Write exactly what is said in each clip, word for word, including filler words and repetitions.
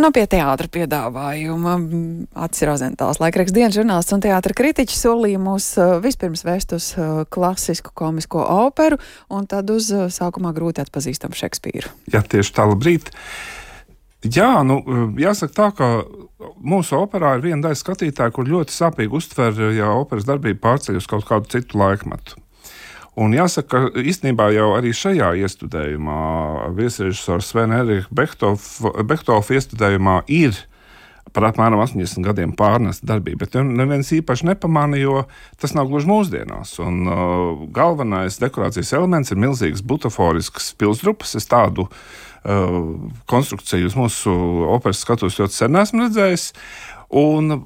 Un pie teātra piedāvājuma Acis Rozentāls, laikraksta dienas žurnālists un teātra kritiķis, solīja mūs vispirms vēst uz klasisku komisko operu un tad uz sākumā grūti atpazīstamu Šekspīru. Jā, tieši tā, labrīt. Jā, nu, jāsaka tā, ka mūsu operā ir viena daļa skatītāja, kur ļoti sāpīgi uztver, ja operas darbība pārceļ uz kaut kādu citu laikmetu. Un jāsaka, ka īstenībā jau arī šajā iestudējumā, viesrežisora Svena Erika Behtolfa iestudējumā ir par apmēram astoņdesmit gadiem pārnesta darbība, bet neviens īpaši nepamana, jo tas nav gluži mūsdienās. Un uh, galvenais dekorācijas elements ir milzīgas butaforiskas pilsdrupas. Es tādu uh, konstrukciju uz mūsu operas skatuves ļoti sen esmu redzējis. Un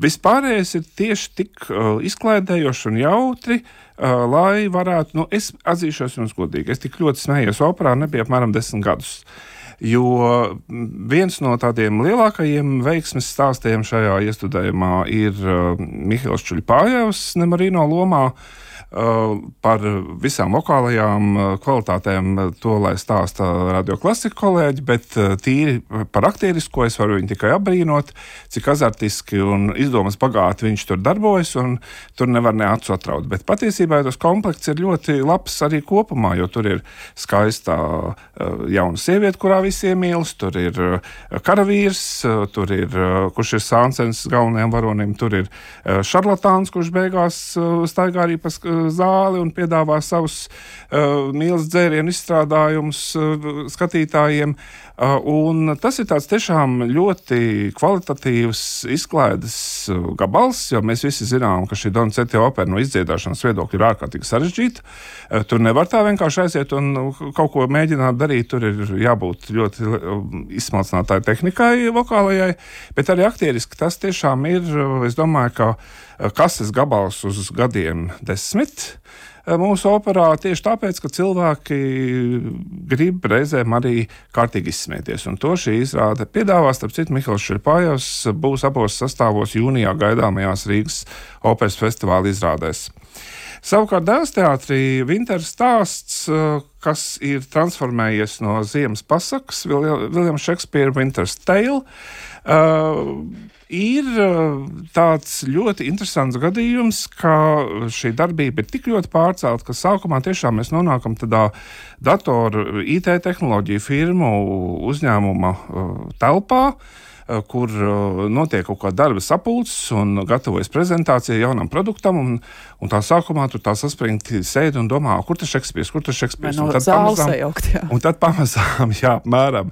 vispārējais ir tieši tik uh, izklaidējoši un jautri, uh, lai varētu, nu, es atzīšos jums godīgi, es tik ļoti smējos operā, nebija apmēram desmit gadus. Jo viens no tādiem lielākajiem veiksmes stāstiem šajā iestudējumā ir uh, Mihails Čuļpājevs Nemarino lomā. Uh, par visām vokālajām uh, kvalitātēm uh, to, lai stāsta radioklasika kolēģi, bet uh, tīri par aktierisko es varu viņu tikai apbrīnot, cik azartiski un izdomas bagāti viņš tur darbojas, un tur nevar ne acu atraut. Bet patiesībā tas komplekts ir ļoti labs arī kopumā, jo tur ir skaistā uh, jauna sieviete, kurā visi iemīlas, tur ir uh, karavīrs, uh, tur ir, uh, kurš ir Sāncens galvenajam varonim, tur ir uh, šarlatāns, kurš beigās uh, staigā arī pa zāli un piedāvā savus uh, mīlas dzērienu izstrādājumus uh, skatītājiem. Uh, un tas ir tāds tiešām ļoti kvalitatīvs izklaides uh, gabals, jo mēs visi zinām, ka šī Donizetti opera no izdziedāšanas viedokļa ir ārkārtīgi sarežģīta. Uh, tur nevar tā vienkārši aiziet un uh, kaut ko mēģināt darīt. Tur ir jābūt ļoti uh, izsmalcinātāji tehnikai vokālajai, bet arī aktieriski tas tiešām ir, uh, es domāju, ka kases gabals uz gadiem desmit mūsu operā tieši tāpēc, ka cilvēki grib reizēm arī kārtīgi izsmieties. Un to šī izrāde piedāvā. Starp citu, Mihails Čuļpājevs būs abos sastāvos jūnijā gaidāmajās Rīgas operas festivāla izrādēs. Savukārt Dēls teātrī Vinteras stāsts, kas ir transformējies no ziemas pasakas, Viljams Šekspīra Winter's Tale, uh, ir tāds ļoti interesants gadījums, ka šī darbība ir tik ļoti pārcelta, ka sākumā tiešām mēs nonākam tādā datoru I T tehnoloģiju firmu uzņēmuma telpā, kur notiek kaut kāda darba sapulces un gatavojas prezentācija jaunam produktam, un, un tā sākumā tur tā saspringti sēd un domā, kur tas Šekspīrs, kur tas Šekspīrs. No un, tad pamazām, sajaukt, jā. un tad pamazām, jā, mēram.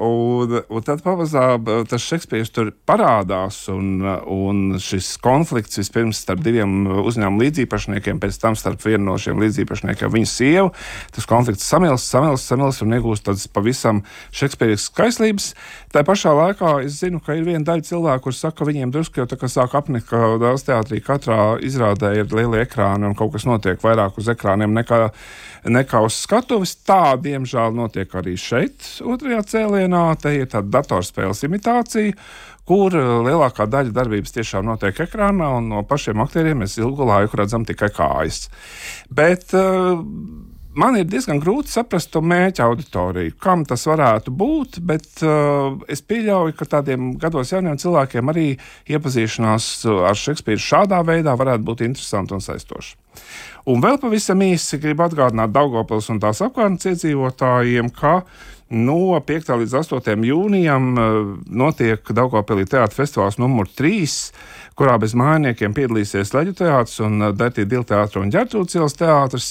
Un, un tad pamazām tas Šekspīrs tur parādās, un, un šis konflikts vispirms starp diviem uzņēmumu līdzīpašniekiem, pēc tam starp vienu no šiem līdzīpašniekiem viņa sievu, tas konflikts samilst, samilst, samilst un iegūst tādas pavisam šekspīriskas skaislības. Tā pašā laikā es zinu, ka ir viena daļa cilvēku, kur saka, ka viņiem drusku jau tā kā sāk apnikt, ka Dēls teātrī katrā izrādē ir lieli ekrāni un kaut kas notiek vairāk uz ekrāniem nekā, nekā uz skatuves. Tā, diemžēl, notiek arī šeit, otrajā cēlienā. Te ir tāda datorspēles imitācija, kur lielākā daļa darbības tiešām notiek ekrānā, un no pašiem aktieriem mēs ilgu laiku redzam tikai kājas. Bet uh, man ir diezgan grūti saprast to mērķa auditoriju, kam tas varētu būt, bet uh, es pieļauju, ka tādiem gados jauniem cilvēkiem arī iepazīšanās ar Šekspīru šādā veidā varētu būt interesanti un saistoši. Un vēl pavisam īsi gribu atgādināt Daugavpils un tās apkārtnes iedzīvotājiem, ka no piektā līdz astotajam jūnijam notiek Daugavpilī teātra festivāls numur trīs, kurā bez mājiniekiem piedalīsies Leģu teātris un Dertī Dila teātra un Ģertrūdes ielas teātris.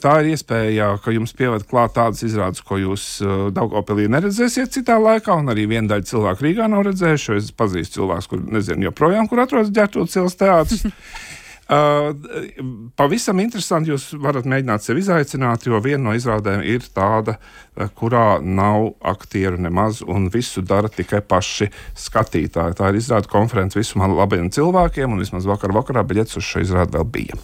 Tā ir iespēja, ka jums pieved klāt tādas izrādes, ko jūs Daugavpilī neredzēsiet citā laikā, un arī viena daļa cilvēku Rīgā nav redzējuši, jo es pazīstu cilvēkus, kur nezinu joprojām, kur atrodas Ģertrūdes ielas teātris. Uh, pavisam interesanti, jūs varat mēģināt sevi izaicināt, jo viena no izrādēm ir tāda, kurā nav aktieru nemaz un visu dara tikai paši skatītāji. Tā ir izrāda konference visumā labiem cilvēkiem, un vismaz vakar vakarā biļetes uz šo izrādi vēl bija.